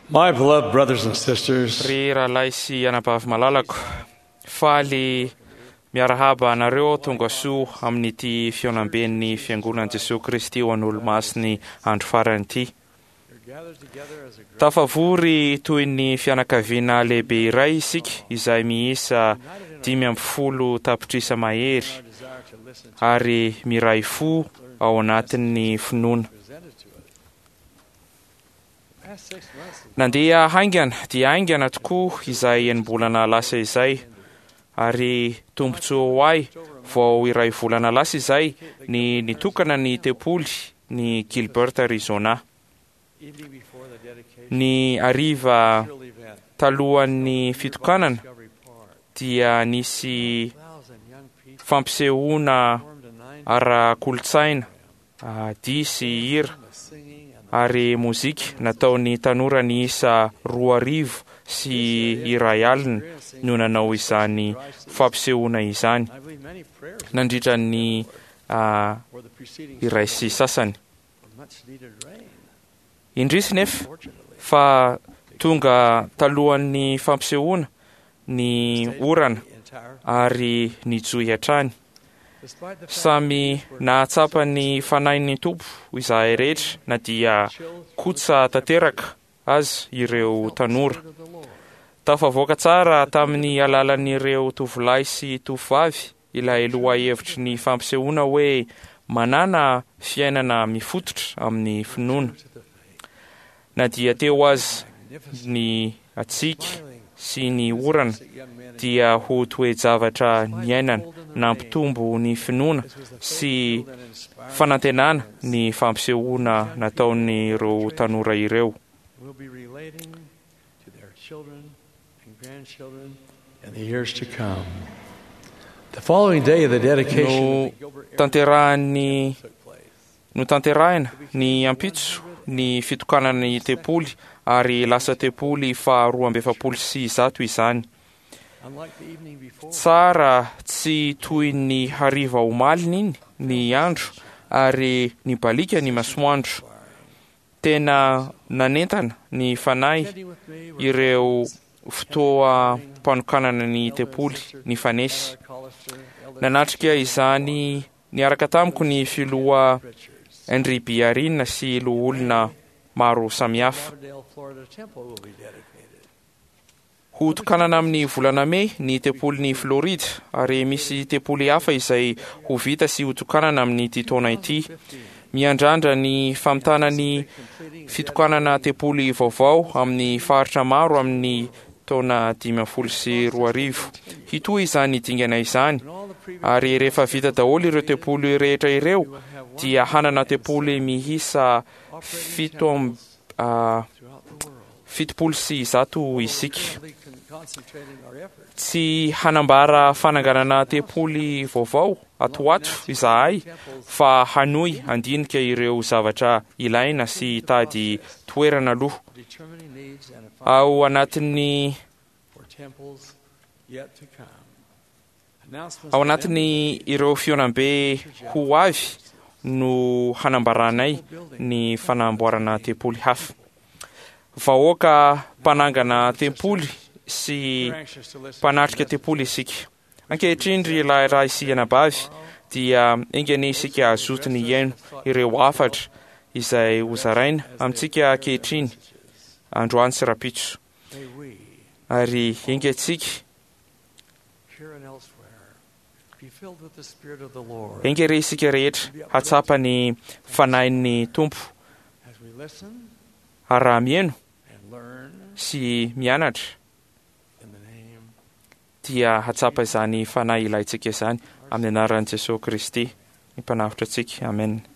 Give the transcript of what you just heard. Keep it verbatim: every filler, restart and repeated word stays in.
My beloved brothers and sisters, Ry rahalahy sy anabavy malalako, faly miarahaba anareo aho tonga soa amin'ity fihaonamben'ny Fiangonan'i Jesoa Kristy ho an'Olomasin'ny andro farany ity. Tafavory toy ny fianakaviana lehibe iray isika izay miisa dimy ambin'ny folo tapitrisa mahery ary miray fo ao anatin'ny finoana. Nandeha haingana dia haingana tokoa izay enim-bolana lasa izay, ary tombontsoa ho ahy vao iray volana lasa izay ny nitokana ny tempoly ny Gilbert, Arizona. Ny hariva talohan'ny fitokanana dia nisy fampisehoana ara-kolontsaina, dihy sy hira ary mozika nataon'ny tanora niisa roa arivo sy iray alina no nanao izany fampisehoana izany nandritra ny iray sy sasany. Indrisy nefa fa tonga talohan'ny fampisehoana ny orana ary nijohy hatrany. Samy nahatsapa ny fanahin'ny Tompo izahay rehetra na dia kotsa tanteraka aza ireo tanora. Tafavoaka tsara tamin'ny alalan'ireo tovolahy sy tovovavy ilay lohahevitry ny fampisehoana hoe manana fiainana mifototra amin'ny finoana. Na dia teo aza ny hatsiaka sy ny orana dia ho toe-javatra niainana nampitombo ny finoana sy fanantenana ny fampisehoana nataon'ireo tanora ireo. In the years to come. The following day, the dedication No tanterahan'ny notanterahina ny ampitso ny fitokanana ny tempoly ary lasa tempoly faharoa amby efapolo sy zato izany. Tsara tsy toy ny hariva omaliny iny ny andro ary nibaliaka ny masoandro. Tena nanentana ny fanahy ireo fotoam-panokanana ny tempoly nifanesy. Nanatrika izany niaraka tamiko ny filoha Henry B. Eyring sy loholona maro samihafa. Ho tokanana amin'ny volana mey ny tempolin'i Florida ary misy tempoly hafa izay ho vita sy ho tokanana amin'ity taona ity. Miandrandra ny famitana ny fitokanana tempoly vaovao amin'ny faritra maro amin'ny taona dimy ambin'ny folo sy roa arivo. Hitohy izany dingana izany ary rehefa vita daholo ireo tempoly rehetra ireo dia hanana tempoly miisa fito amb- ah, fitopolo sy zato isika. Tsy hanambara fananganana tempoly vaovao ato ho ato izahay fa hanohy handinika ireo zavatra ilaina sy hitady toerana aloha. Ao anatin'ny ao anatin'ny ireo fihaonambe ho avy no hanambaranay ny fanamboarana tempoly hafa. Vahoaka mpanangana tempoly sy mpanatrika tempoly isika. Ankehitriny ry lahy sy anabavy dia enga anie isika hazoto ny hihaino ireo hafatra izay hozaraina amintsika ankehitriny androany sy rahampitso. Ary enga antsika enga re isika rehetra hatsapa ny fanahin'ny Tompo ary raha mihaino sy mianatra dia hatsapa izany fanahy ilaintsika izany amin'ny anaran'i Jesoa Kristy ny Mpanavotra antsika. Amen.